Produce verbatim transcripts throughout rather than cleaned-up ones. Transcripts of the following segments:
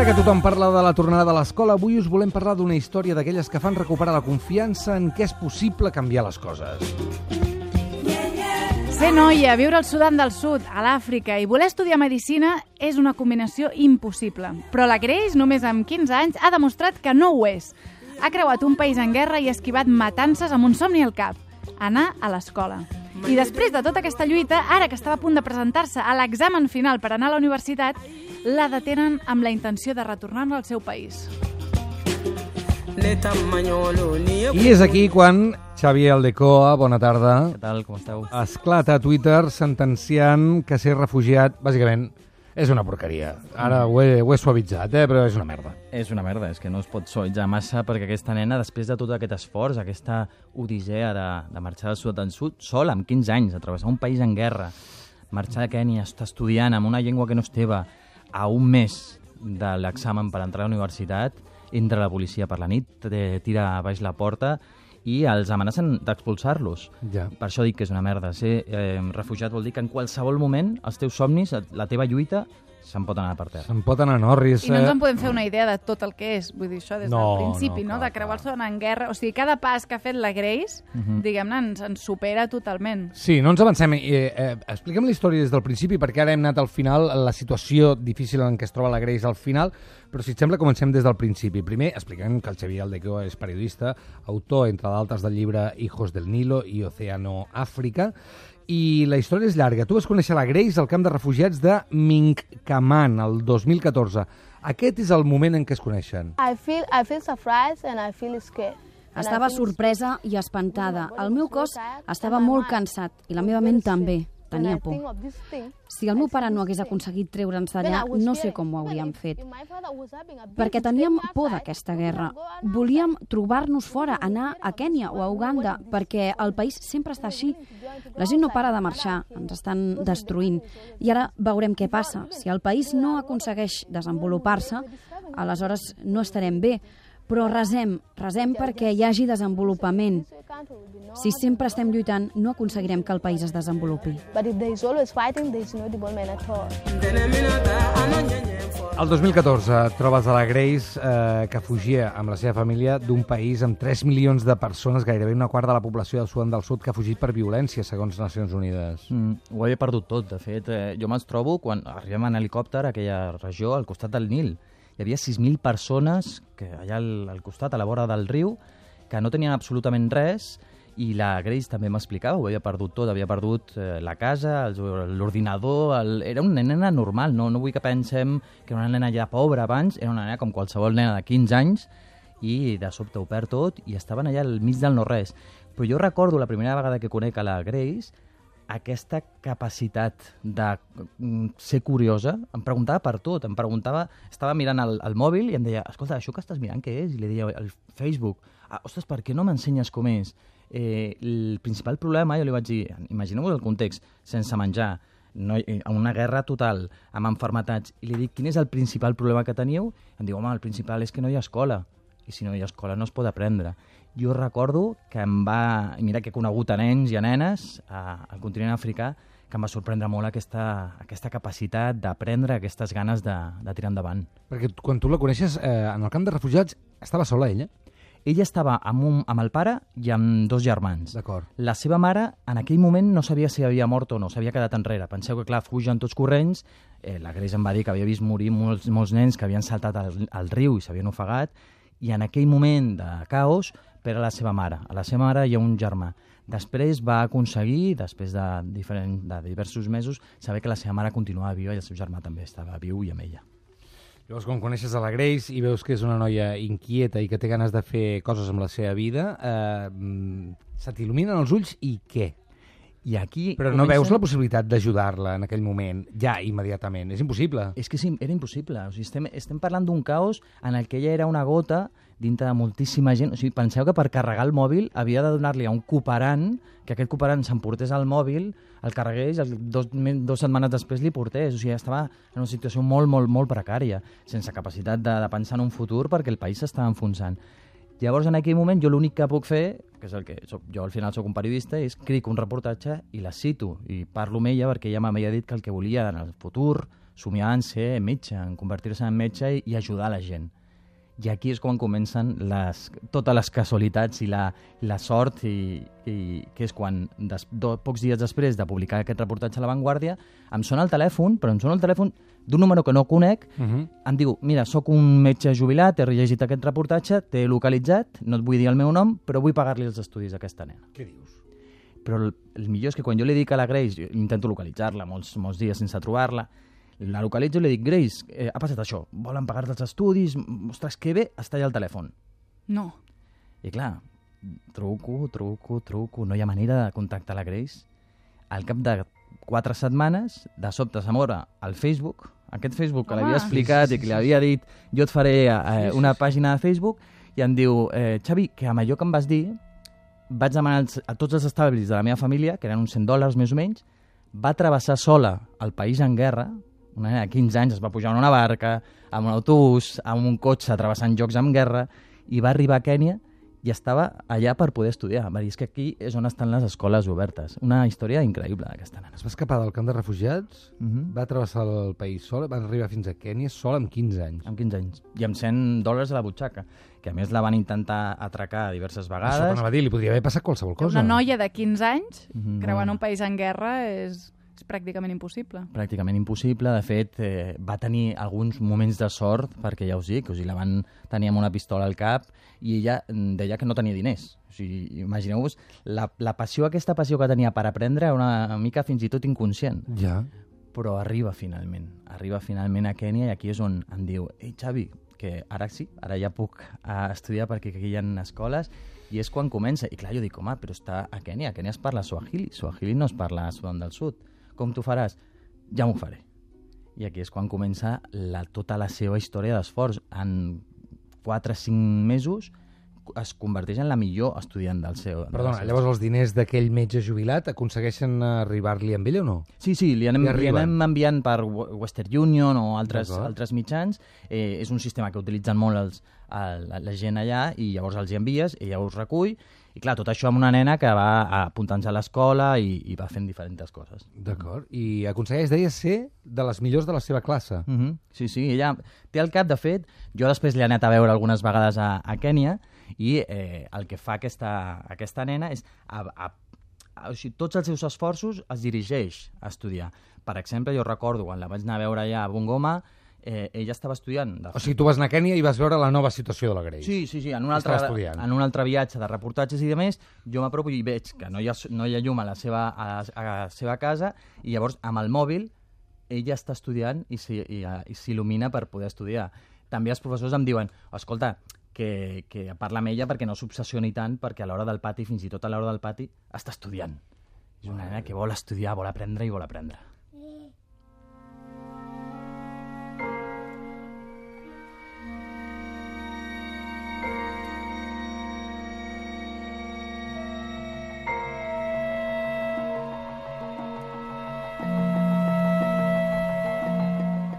Ara que tothom parla de la tornada de l'escola, avui us volem parlar d'una història d'aquelles que fan recuperar la confiança en què és possible canviar les coses. Ser noia, viure al Sudan del Sud, a l'Àfrica i voler estudiar medicina és una combinació impossible. Però la Grace, només amb quinze anys, ha demostrat que no ho és. Ha creuat un país en guerra i ha esquivat matances amb un somni al cap: anar a l'escola. I després de tota aquesta lluita, ara que estava a punt de presentar-se a l'examen final per anar a la universitat, la detenen amb la intenció de retornar-la al seu país. I és aquí quan Xavier Aldecoa, bona tarda, Què tal, com esteu? esclata a Twitter sentenciant que ser refugiat, bàsicament, és una porqueria. Ara ho he, ho he suavitzat, eh? Però és una merda. És una merda, és que no es pot suavitzar massa perquè aquesta nena, després de tot aquest esforç, aquesta odissea de, de marxar del sud del sud, sola, amb quinze anys, a travessar un país en guerra, marxar de Kènia, estar estudiant amb una llengua que no és teva, a un mes de l'examen per entrar a la universitat, entra la policia per la nit, tira a baix la porta i els amenacen d'expulsar-los. Ja. Per això dic que és una merda. Ser eh, refugiat vol dir que en qualsevol moment els teus somnis, la teva lluita, se'n pot anar per terra. Se'n pot anar, no? Ris, I no ens en podem fer una idea de tot el que és. Vull dir, això des No, del principi, no, no? clar, De creuar el clar. Sudan en guerra. O sigui, cada pas que ha fet la Grace, Mhm. diguem-ne, ens, ens supera totalment. Sí, no ens avancem. Eh, eh, expliquem la història des del principi, perquè ara hem anat al final, la situació difícil en què es troba la Grace al final, però si et sembla comencem des del principi. Primer expliquem que el Xavier Aldecoa és periodista, autor, entre d'altres, del llibre Hijos del Nilo i Océano Àfrica, i la història és llarga. Tu vas conèixer la Grace al camp de refugiats de Mincaman el dos mil catorze. Aquest és el moment en què es coneixen. I feel I feel surprised and I feel scared. And Estava I feel sorpresa i espantada. El meu cos estava molt cansat i la meva ment també. Tenia por. Si el meu pare no hagués aconseguit treure'ns d'allà, no sé com ho hauríem fet. Perquè teníem por d'aquesta guerra. Volíem trobar-nos fora, anar a Kènia o a Uganda, perquè el país sempre està així. La gent no para de marxar, ens estan destruint. I ara veurem què passa. Si el país no aconsegueix desenvolupar-se, aleshores no estarem bé. Però resem, resem perquè hi hagi desenvolupament. Si sempre estem lluitant, no aconseguirem que el país es desenvolupi. But if there is always fighting, there is no development at all. El dos mil catorze trobes a la Grace eh, que fugia amb la seva família d'un país amb tres milions de persones, gairebé una quarta de la població del Sudan del Sud, que ha fugit per violència, segons Nacions Unides. Mm, ho havia perdut tot, de fet. Eh, jo me'ls trobo quan arribem en helicòpter a aquella regió, al costat del Nil. Hi havia sis mil persones que allà al, al costat, a la vora del riu, que no tenien absolutament res, i la Grace també m'explicava, ho havia perdut tot, havia perdut eh, la casa, l'ordinador, el... era una nena normal, no, no vull que pensem que era una nena ja pobra abans, era una nena com qualsevol nena de quinze anys, i de sobte ho perd tot, i estaven allà al mig del no-res. Però jo recordo la primera vegada que conec a la Grace, aquesta capacitat de ser curiosa, em preguntava per tot, em preguntava, estava mirant el, el mòbil i em deia, escolta, això que estàs mirant què és? I li deia, el Facebook, ah, ostres, per què no m'ensenyes com és? Eh, el principal problema, jo li vaig dir, imagineu-vos el context, sense menjar, no, una guerra total, amb enfermetats, i li dic, quin és el principal problema que teniu? Em diu, home, el principal és que no hi ha escola, i si no hi ha escola no es pot aprendre. Jo recordo que em va... Mira que he conegut a nens i a nenes a, al continent africà, que em va sorprendre molt aquesta, aquesta capacitat d'aprendre, aquestes ganes de, de tirar endavant. Perquè quan tu la coneixes, eh, en el camp de refugiats, estava sola ella? Ella estava amb, un, amb el pare i amb dos germans. D'acord. La seva mare, en aquell moment, no sabia si havia mort o no, s'havia quedat enrere. Penseu que, clar, fugen tots corrents. Eh, la Grace em va dir que havia vist morir molts, molts nens que havien saltat al, al riu i s'havien ofegat, i en aquell moment de caos per a la seva mare. A la seva mare hi ha un germà. Després va aconseguir, després de, diferent, de diversos mesos, saber que la seva mare continuava viva i el seu germà també estava viu i amb ella. Llavors, quan coneixes a la Grace i veus que és una noia inquieta i que té ganes de fer coses amb la seva vida, eh, se t'il·luminen els ulls i què? I aquí Però no veus la possibilitat d'ajudar-la en aquell moment, ja, immediatament. És impossible. És que sí, era impossible. O sigui, estem, estem parlant d'un caos en el que ella era una gota dintre de moltíssima gent. O sigui, penseu que per carregar el mòbil havia de donar-li a un cooperant, que aquest cooperant s'emportés el mòbil, el carregués, el, dos, dos setmanes després li portés. O sigui, estava en una situació molt, molt, molt precària, sense capacitat de, de pensar en un futur perquè el país s'estava enfonsant. Llavors, en aquell moment, jo l'únic que puc fer, que és el que soc, jo al final soc un periodista, és crico un reportatge i la cito i parlo amb ella perquè ella m'havia dit que el que volia en el futur, somiava en ser metge, en convertir-se en metge i, i ajudar la gent. I aquí és quan comencen les, totes les casualitats i la, la sort, i, i que és quan, des, do, pocs dies després de publicar aquest reportatge a La Vanguardia, em sona el telèfon, però em sona el telèfon d'un número que no conec, uh -huh. em diu, mira, sóc un metge jubilat, he llegit aquest reportatge, t'he localitzat, no et vull dir el meu nom, però vull pagar-li els estudis a aquesta nena. Què dius? Però el, el millor és que quan jo li dic a la Grace, intento localitzar-la molts, molts dies sense trobar-la, la localitzo i li dic, Grace, eh, ha passat això, volen pagar-te els estudis, ostres, que bé, està allà al telèfon. No. I clar, truco, truco, truco, no hi ha manera de contactar la Grace. Al cap de quatre setmanes, de sobte s'amora al Facebook, aquest Facebook que l'havia explicat sí, sí, sí, i que li havia dit, jo et faré eh, una pàgina de Facebook, i em diu, eh, Xavi, que amb allò que em vas dir, vaig demanar a tots els establis de la meva família, que eren uns cent dòlars més o menys, va travessar sola el país en guerra, una nena de quinze anys es va pujar en una barca, amb un autobús, amb un cotxe travessant llocs amb guerra, i va arribar a Kènia i estava allà per poder estudiar. Va dir, és que aquí és on estan les escoles obertes. Una història increïble d'aquesta nena. Es va escapar del camp de refugiats, uh -huh. va travessar el país sol, va arribar fins a Kènia sol amb quinze anys. Amb quinze anys. I amb cent dòlars a la butxaca, que a més la van intentar atracar diverses vegades. Això que va dir, li podria haver passat qualsevol cosa. Una noia de quinze anys, uh -huh. creuant un país en guerra, és... és pràcticament impossible. Pràcticament impossible. De fet, eh, va tenir alguns moments de sort, perquè ja us dic, o sigui, la van tenir amb una pistola al cap i ella deia que no tenia diners. O sigui, imagineu-vos, la, la passió, aquesta passió que tenia per aprendre era una mica fins i tot inconscient. Ja. Però arriba finalment. Arriba finalment a Kènia i aquí és on em diu, ei, Xavi, que ara sí, ara ja puc uh, estudiar perquè aquí hi ha escoles, i és quan comença. I clar, jo dic, home, però està a Kènia, a Kènia es parla Swahili, Swahili no es parla a Sudan del Sud. Com t'ho faràs? Ja m'ho faré. I aquí és quan comença la, tota la seva història d'esforç. En quatre o cinc mesos es converteix en la millor estudiant del seu... Perdona, del llavors els diners d'aquell metge jubilat aconsegueixen arribar-li amb ell o no? Sí, sí, li anem, li anem enviant per Western Union o altres, altres mitjans. Eh, és un sistema que utilitzen molt els, el, la gent allà, i llavors els hi envies, ella us recull, i clar, tot això amb una nena que va apuntant-se a l'escola i, i va fent diferents coses. D'acord. I aconsegueix, deia, ser de les millors de la seva classe. Uh -huh. Sí, sí, ella té el cap, de fet, jo després l'he anat a veure algunes vegades a, a Kènia, i eh, el que fa aquesta, aquesta nena és... A, a, a, o sigui, tots els seus esforços els dirigeix a estudiar. Per exemple, jo recordo, quan la vaig anar a veure allà a Bungoma, Eh, ella estava estudiant. De... O sigui, tu vas anar a Kènia i vas veure la nova situació de la Grace. Sí, sí, sí. En un, altre, en un altre viatge de reportatges i de més, jo m'apropo i veig que no hi ha, no hi ha llum a la, seva, a, la, a la seva casa, i llavors amb el mòbil ella està estudiant i s'il·lumina per poder estudiar. També els professors em diuen, escolta, que, que parla amb ella perquè no s'obsessioni tant, perquè a l'hora del pati, fins i tot a l'hora del pati, està estudiant. És una nena que vol estudiar, vol aprendre i vol aprendre.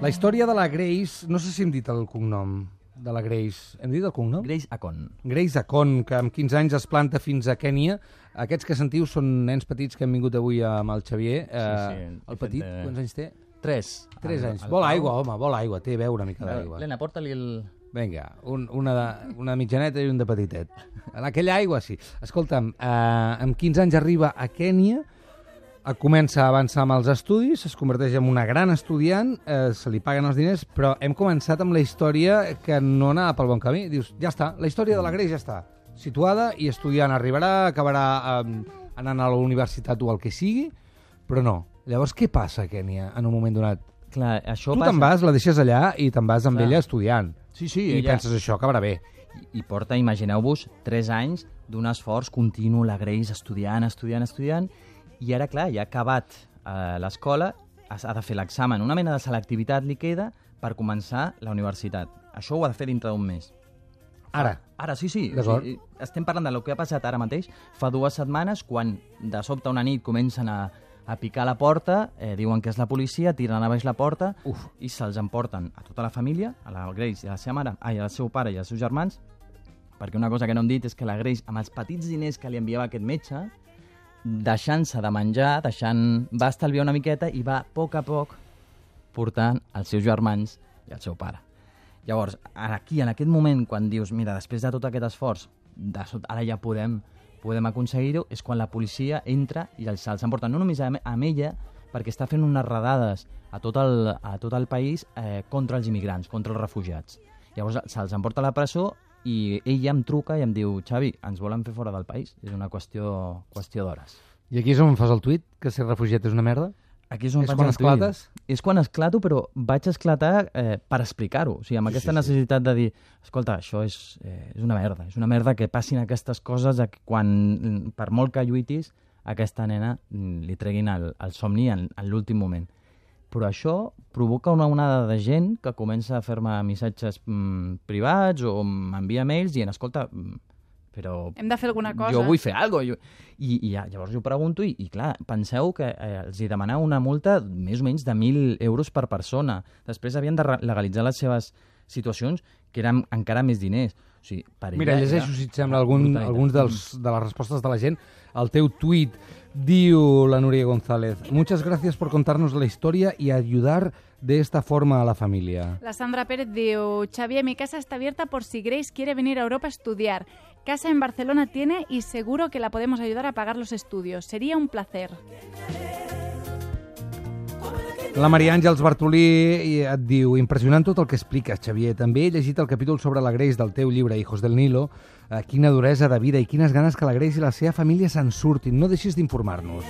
La història de la Grace, no sé si hem dit el cognom de la Grace. Hem dit el cognom? Grace Acon. Grace Acon, que amb quinze anys es planta fins a Kènia. Aquests que sentiu són nens petits que han vingut avui amb el Xavier. Sí, sí. Eh, el petit, de... quants anys té? Tres. Tres anys. Vol aigua, home, vol aigua. Té, beu una mica d'aigua. Lena, porta-li el... Vinga, un, una, de, una mitjaneta i un de petitet. En aquella aigua, sí. Escolta'm, eh, amb quinze anys arriba a Kènia, comença a avançar amb els estudis, es converteix en una gran estudiant, eh, se li paguen els diners, però hem començat amb la història que no anava pel bon camí. Dius, ja està, la història de la Grace ja està situada i estudiant, arribarà, acabarà eh, anant a la universitat o el que sigui, però no. Llavors, què passa a Kènia en un moment donat? Clar, això tu passa... te'n vas, la deixes allà i te'n vas amb Clar. ella estudiant. Sí, sí. I ella... penses, això acabarà bé. I, i porta, imagineu-vos, tres anys d'un esforç continu, la Grace estudiant, estudiant, estudiant, i ara, clar, ja ha acabat eh, l'escola, ha de fer l'examen. Una mena de selectivitat li queda per començar la universitat. Això ho ha de fer dintre d'un mes. Ara? Ara, sí, sí. O sigui, estem parlant del que ha passat ara mateix. Fa dues setmanes, quan de sobte una nit comencen a, a picar la porta, eh, diuen que és la policia, tiren a baix la porta Uf. i se'ls emporten a tota la família, a la Grace i a la seva mare, ai, al seu pare i als seus germans, perquè una cosa que no hem dit és que la Grace, amb els petits diners que li enviava aquest metge, deixant-se de menjar, deixant... va estalviar una miqueta i va, a poc a poc, portant els seus germans i el seu pare. Llavors, aquí, en aquest moment, quan dius, mira, després de tot aquest esforç, de sot, ara ja podem, podem aconseguir-ho, és quan la policia entra i els se'ls emporta, no només amb ella, perquè està fent unes redades a tot el, a tot el país eh, contra els immigrants, contra els refugiats. Llavors se'ls emporta a la presó i ella em truca i em diu, Xavi, ens volen fer fora del país. És una qüestió, qüestió d'hores. I aquí és on fas el tuit, que ser refugiat és una merda? Aquí és on és faig quan el esclates? tuit. És quan esclato, però vaig esclatar eh, per explicar-ho. O sigui, amb sí, aquesta sí, necessitat sí. de dir, escolta, això és, eh, és una merda. És una merda que passin aquestes coses quan, per molt que lluitis, a aquesta nena li treguin el, el somni en, en l'últim moment. Però això provoca una onada de gent que comença a fer-me missatges mm, privats o m'envia mails dient, escolta, però... Hem de fer alguna cosa. Jo vull fer alguna cosa. I, i ja, llavors jo pregunto i, i clar, penseu que eh, els hi demanava una multa més o menys de mil euros per persona. Després havien de legalitzar les seves situacions, que eren encara més diners. O sigui, per Mira, llegeixo, si et sembla, algun, alguns dels, de les respostes de la gent. El teu tuit diu la Núria González: muchas gracias por contarnos la historia y ayudar de esta forma a la familia. La Sandra Pérez diu, Xavier, mi casa está abierta por si Grace quiere venir a Europa a estudiar. Casa en Barcelona tiene y seguro que la podemos ayudar a pagar los estudios. Sería un placer. La Maria Àngels Bartolí et diu, impressionant tot el que expliques, Xavier. També he llegit el capítol sobre la Grace del teu llibre Hijos del Nilo. Eh, quina duresa de vida i quines ganes que la Grace i la seva família se'n surtin. No deixis d'informar-nos.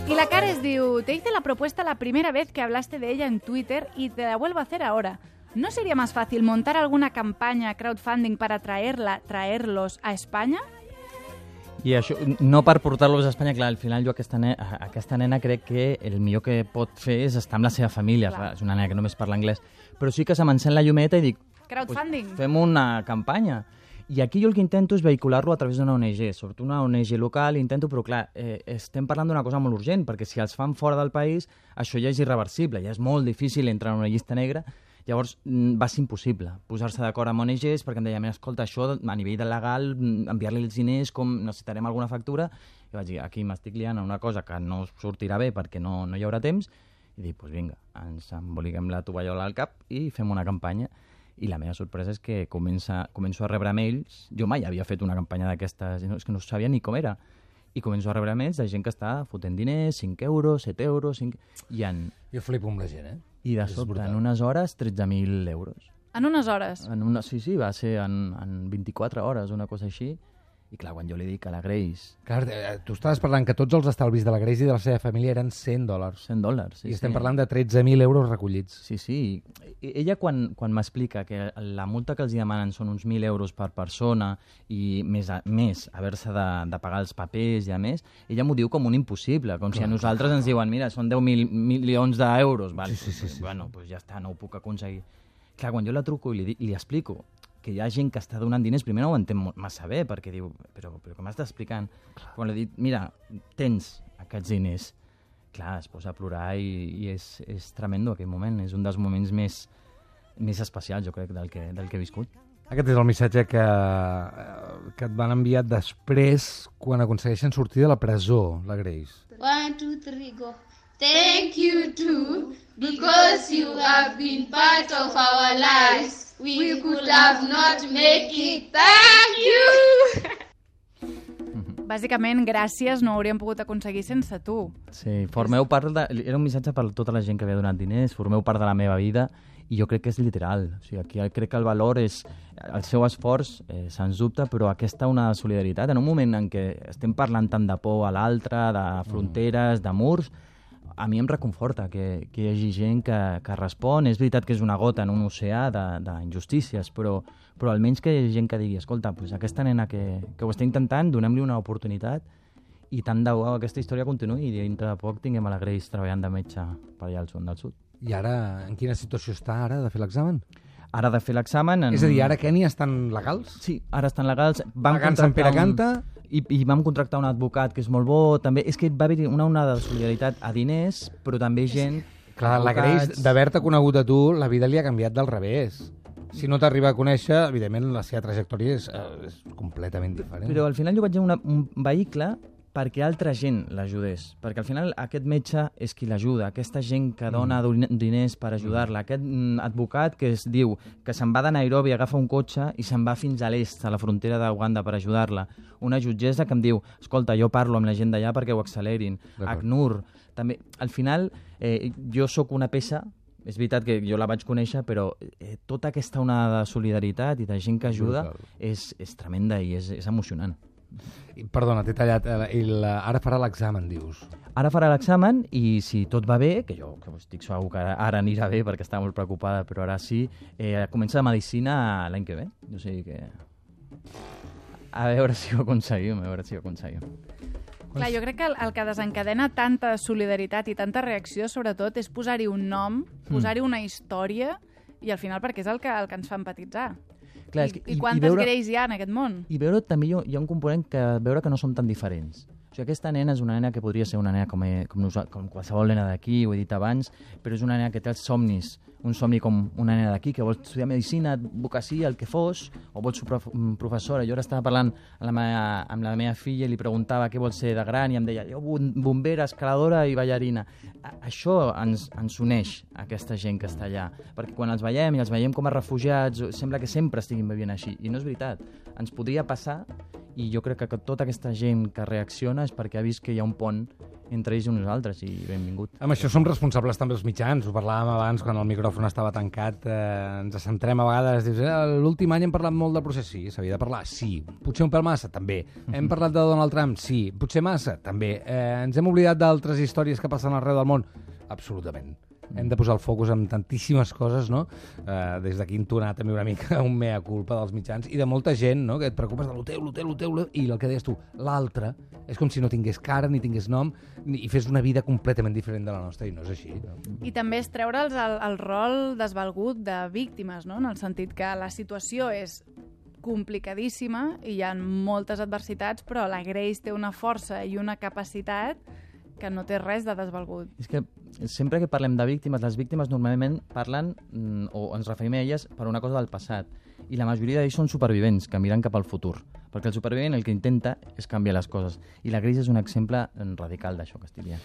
Y la Cares diu, te hice la propuesta la primera vez que hablaste de ella en Twitter y te la vuelvo a hacer ahora. ¿No sería más fácil montar alguna campaña crowdfunding para traerla, traerlos a España? I això, no per portar-los a Espanya, clar, al final jo aquesta nena, aquesta nena crec que el millor que pot fer és estar amb la seva família. Clar. És una nena que només parla anglès. Però sí que se m'encén la llumeta i dic, crowdfunding. Pues, fem una campanya. I aquí jo el que intento és vehicular-lo a través d'una O N G, sobretot una O N G local, intento, però clar, eh, estem parlant d'una cosa molt urgent, perquè si els fan fora del país, això ja és irreversible, ja és molt difícil entrar en una llista negra. Llavors va ser impossible posar-se d'acord amb O N Ges perquè em deia, escolta, això a nivell de legal, enviar-li els diners, com necessitarem alguna factura, i vaig dir, aquí m'estic liant a una cosa que no sortirà bé perquè no, no hi haurà temps, i dic, doncs vinga, ens emboliquem la tovallola al cap i fem una campanya. I la meva sorpresa és que comença, començo a rebre mails, jo mai havia fet una campanya d'aquestes, és que no sabia ni com era, i començo a rebre mails de gent que està fotent diners, cinc euros, set euros, cinc... I en... Jo flipo amb la gent, eh? I de sobte, en unes hores, tretze mil euros. En unes hores? En una, sí, sí, va ser en, en vint-i-quatre hores, una cosa així. I clar, quan jo li dic a la Grace... Clar, tu estaves parlant que tots els estalvis de la Grace i de la seva família eren cent dòlars. cent dòlars, sí. I estem sí. parlant de tretze mil euros recollits. Sí, sí. Ella, quan, quan m'explica que la multa que els demanen són uns mil euros per persona i més, a, més haver-se de, de pagar els papers i a més, ella m'ho diu com un impossible, com clar, si a nosaltres ens diuen, mira, són deu mil milions d'euros. Val? Sí, sí, sí, sí. Bueno, doncs ja està, no ho puc aconseguir. Clar, quan jo la truco i li, li explico que hi ha gent que està donant diners, primer no ho entén massa bé, perquè diu, però, però què m'estàs explicant? Clar. Quan li dic, mira, tens aquests diners, clar, es posa a plorar i, i és, és tremendo aquell moment, és un dels moments més, més especials, jo crec, del que, del que he viscut. Aquest és el missatge que, que et van enviar després quan aconsegueixen sortir de la presó, la Grace. One, two, three, go. Thank you too, because you have been part of our lives. We could have not make it. Thank you! Bàsicament, gràcies no ho hauríem pogut aconseguir sense tu. Sí, formeu part de... Era un missatge per tota la gent que havia donat diners, formeu part de la meva vida, i jo crec que és literal. O sigui, aquí crec que el valor és... El seu esforç, eh, sens dubte, però aquesta una solidaritat. En un moment en què estem parlant tant de por a l'altre, de fronteres, de murs, a mi em reconforta que, que hi hagi gent que, que respon. És veritat que és una gota en un oceà d'injustícies, però, però almenys que hi hagi gent que digui, escolta, pues aquesta nena que, que ho està intentant, donem-li una oportunitat i tant de bo aquesta història continuï i dintre de poc tinguem a la Grace treballant de metge per allà al sud del sud. I ara, en quina situació està ara de fer l'examen? Ara de fer l'examen... En... És a dir, ara Kènia estan legals? Sí, ara estan legals. Pagant Sant Pere Canta? Un... I, I vam contractar un advocat que és molt bo, també. És que va haver una onada de solidaritat a diners, però també gent... Clar, advocats... la Grace, d'haver-te conegut a tu, la vida li ha canviat del revés. Si no t'arriba a conèixer, evidentment la seva trajectòria és, és completament diferent. Però al final jo vaig dir una, un vehicle perquè altra gent l'ajudés. Perquè al final aquest metge és qui l'ajuda, aquesta gent que dona mm. diners per ajudar-la, aquest mm, advocat que es diu que se'n va de Nairobi, agafa un cotxe i se'n va fins a l'est, a la frontera d'Uganda, per ajudar-la. Una jutgessa que em diu, escolta, jo parlo amb la gent d'allà perquè ho accelerin. ACNUR, també. Al final, eh, jo sóc una peça, és veritat que jo la vaig conèixer, però eh, tota aquesta onada de solidaritat i de gent que ajuda és, és tremenda i és, és emocionant. Perdona, t'he tallat. I la, ara farà l'examen, dius. Ara farà l'examen i si tot va bé, que jo que estic segur que ara, ara anirà bé perquè està molt preocupada, però ara sí, eh, comença medicina l'any que ve. O sigui que... A veure si ho aconseguim, a veure si ho aconseguim. Clar, jo crec que el, el que desencadena tanta solidaritat i tanta reacció, sobretot, és posar-hi un nom, posar-hi una història, i al final perquè és el que, el que ens fa empatitzar. Clar, I, que, i, I quantes i veure, greis hi ha en aquest món? I veure també hi ha, hi ha un component que veure que no són tan diferents. O sigui, aquesta nena és una nena que podria ser una nena com, com, com qualsevol nena d'aquí, ho he dit abans, però és una nena que té els somnis, un somni com una nena d'aquí, que vol estudiar medicina, advocacia, el que fos, o vol ser prof professora. Jo ara estava parlant amb la, meva, amb la meva filla i li preguntava què vol ser de gran i em deia, jo bombera, escaladora i ballarina. A això ens, ens uneix aquesta gent que està allà, perquè quan els veiem i els veiem com a refugiats, sembla que sempre estiguin vivint així, i no és veritat. Ens podria passar, i jo crec que tota aquesta gent que reacciona és perquè ha vist que hi ha un pont entre ells i nosaltres, i benvingut. Amb això som responsables també els mitjans, ho parlàvem abans quan el micròfon estava tancat, eh, ens centrem a vegades, dius, eh, l'últim any hem parlat molt del procés, sí, s'havia de parlar, sí, potser un pèl massa, també, hem parlat de Donald Trump, sí, potser massa, també, eh, ens hem oblidat d'altres històries que passen arreu del món, absolutament. Hem de posar el focus en tantíssimes coses, no? Eh, des d'aquí entonar també una mica un mea culpa dels mitjans i de molta gent, no? Que et preocupes de lo teu, lo teu, lo teu, i el que deies tu, l'altre, és com si no tingués cara ni tingués nom ni, i fes una vida completament diferent de la nostra, i no és així. No? I també és treure'ls el, el rol desvalgut de víctimes, no? En el sentit que la situació és complicadíssima i hi ha moltes adversitats, però la Grace té una força i una capacitat que no té res de desvalgut. És que sempre que parlem de víctimes, les víctimes normalment parlen, o ens referim a elles, per una cosa del passat. I la majoria d'ells són supervivents, que miren cap al futur. Perquè el supervivent el que intenta és canviar les coses. I la Grace és un exemple radical d'això que estic dient.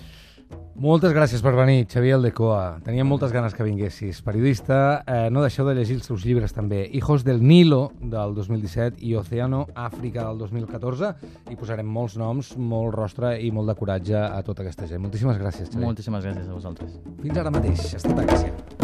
Moltes gràcies per venir, Xavier Aldecoa. Teníem moltes ganes que vinguessis. Periodista, eh, no deixeu de llegir els seus llibres també. Hijos del Nilo, del dos mil disset, i Océano Àfrica, del dos mil catorze. I posarem molts noms, molt rostre i molt de coratge a tota aquesta gent. Moltíssimes gràcies, Xavier. Moltíssimes gràcies a vosaltres. Fins ara mateix. Ha estat a Gràcia.